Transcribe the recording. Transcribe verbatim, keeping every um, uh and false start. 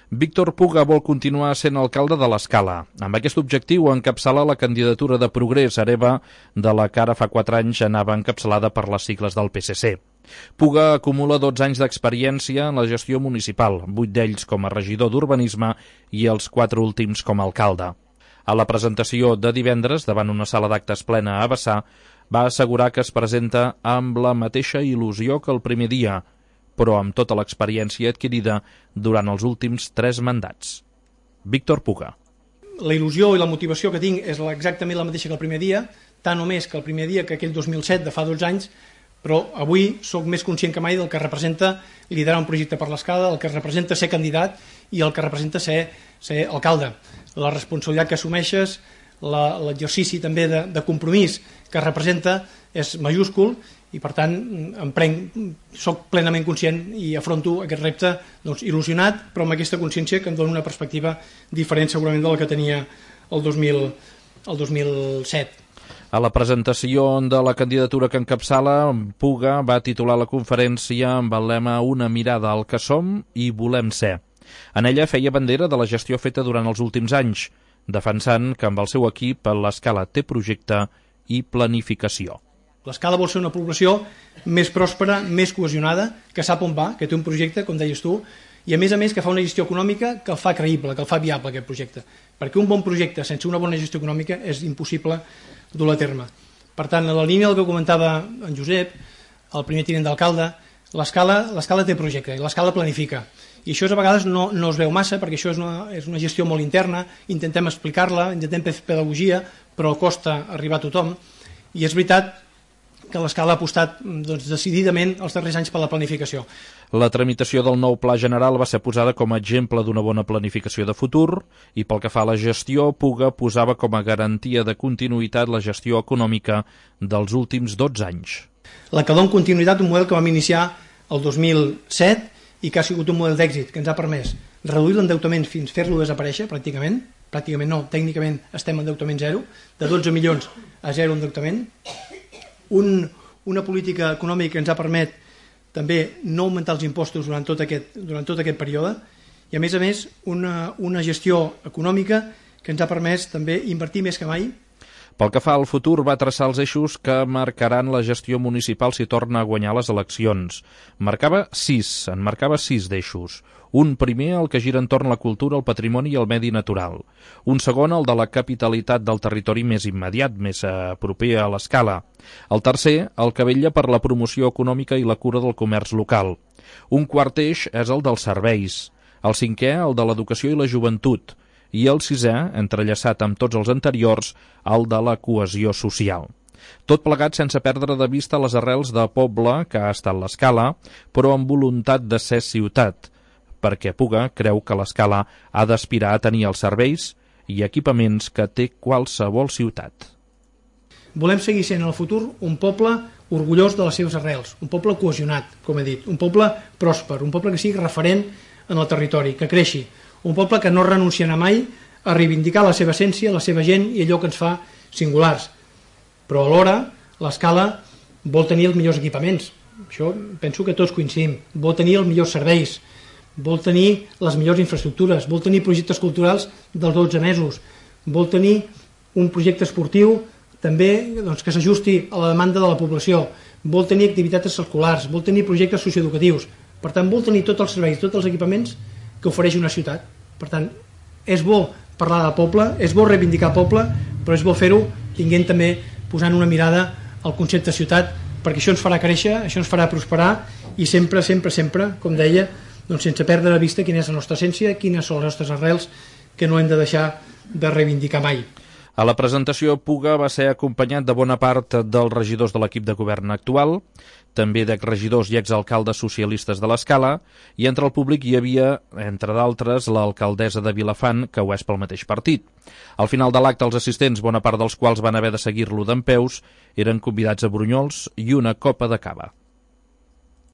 Víctor Puga vol continuar sent alcalde de l'Escala. Amb aquest objectiu encapçala la candidatura de Progrés Hereva, de la que ara fa quatre anys anava encapçalada per les sigles del P S C. Puga acumula dotze anys d'experiència en la gestió municipal, vuit d'ells com a regidor d'urbanisme i els quatre últims com a alcalde. A la presentació de divendres, davant una sala d'actes plena a Bassà, va assegurar que es presenta amb la mateixa il·lusió que el primer dia, però amb tota l'experiència adquirida durant els últims tres mandats. Víctor Puga. La il·lusió i la motivació que tinc és exactament la mateixa que el primer dia, tant o més que el primer dia que aquell dos mil set de fa dotze anys, però avui sóc més conscient que mai del que representa liderar un projecte per l'Escala, el que representa ser candidat i el que representa ser, ser alcalde. La responsabilitat que assumeixes, l'exercici també de, de compromís que representa és majúscul i per tant em prenc, soc plenament conscient i afronto aquest repte doncs, il·lusionat, però amb aquesta consciència que em dona una perspectiva diferent segurament de la que tenia el dos mil, el dos mil set. A la presentació de la candidatura que encapçala, Puga va titular la conferència amb el lema Una mirada al que som i volem ser. En ella feia bandera de la gestió feta durant els últims anys, defensant que amb el seu equip l'Escala té projecte i planificació. L'Escala vol ser una població més pròspera, més cohesionada, que sap on va, que té un projecte, com deies tu, i a més a més que fa una gestió econòmica que el fa creïble, que el fa viable aquest projecte. Perquè un bon projecte sense una bona gestió econòmica és impossible dur a terme. Per tant, en la línia del que comentava en Josep, el primer tinent d'alcalde, l'Escala té projecte i l'Escala planifica. I això a vegades no, no es veu massa perquè això és una, és una gestió molt interna, intentem explicar-la, intentem fer pedagogia, però costa arribar a tothom. I és veritat que l'Escala ha apostat doncs, decididament els darrers anys per la planificació. La tramitació del nou Pla General va ser posada com a exemple d'una bona planificació de futur i pel que fa a la gestió, Puga posava com a garantia de continuïtat la gestió econòmica dels últims dotze anys. La que dona continuïtat un model que vam iniciar el dos mil set i que ha sigut un model d'èxit que ens ha permès reduir l'endeutament fins fer-lo desaparèixer pràcticament, pràcticament no, tècnicament estem en endeutament zero, de dotze milions a zero endeutament, Un, una política econòmica que ens ha permès també no augmentar els impostos durant tot aquest, durant tot aquest període i a més a més una, una gestió econòmica que ens ha permès també invertir més que mai. Pel que fa al futur, va traçar els eixos que marcaran la gestió municipal si torna a guanyar les eleccions. Marcava sis, en marcava sis d'eixos. Un primer, el que gira entorn la cultura, el patrimoni i el medi natural. Un segon, el de la capitalitat del territori més immediat, més proper a l'Escala. El tercer, el que vetlla per la promoció econòmica i la cura del comerç local. Un quart eix és el dels serveis. El cinquè, el de l'educació i la joventut. I el sisè, entrellaçat amb tots els anteriors, el de la cohesió social. Tot plegat sense perdre de vista les arrels de poble que ha estat l'Escala, però amb voluntat de ser ciutat, perquè Puga creu que l'Escala ha d'aspirar a tenir els serveis i equipaments que té qualsevol ciutat. Volem seguir sent en el futur un poble orgullós de les seves arrels, un poble cohesionat, com he dit, un poble pròsper, un poble que sigui referent en el territori, que creixi, un poble que no renunciarà mai a reivindicar la seva essència, la seva gent i allò que ens fa singulars. Però alhora l'Escala vol tenir els millors equipaments. Això penso que tots coincidim. Vol tenir els millors serveis, vol tenir les millors infraestructures, vol tenir projectes culturals dels dotze mesos, vol tenir un projecte esportiu també doncs, que s'ajusti a la demanda de la població, vol tenir activitats escolars, vol tenir projectes socioeducatius. Per tant, vol tenir tots els serveis, tots els equipaments que ofereix una ciutat. Per tant, és bo parlar de poble, és bo reivindicar poble, però és bo fer-ho tinguent també posant una mirada al concepte ciutat, perquè això ens farà créixer, això ens farà prosperar i sempre, sempre, sempre, com deia, doncs sense perdre de vista quina és la nostra essència, quines són les nostres arrels que no hem de deixar de reivindicar mai. A la presentació, Puga va ser acompanyat de bona part dels regidors de l'equip de govern actual, també d'exregidors i exalcaldes socialistes de l'Escala, i entre el públic hi havia, entre d'altres, l'alcaldessa de Vilafant, que ho és pel mateix partit. Al final de l'acte, els assistents, bona part dels quals van haver de seguir-lo dempeus, eren convidats a brunyols i una copa de cava.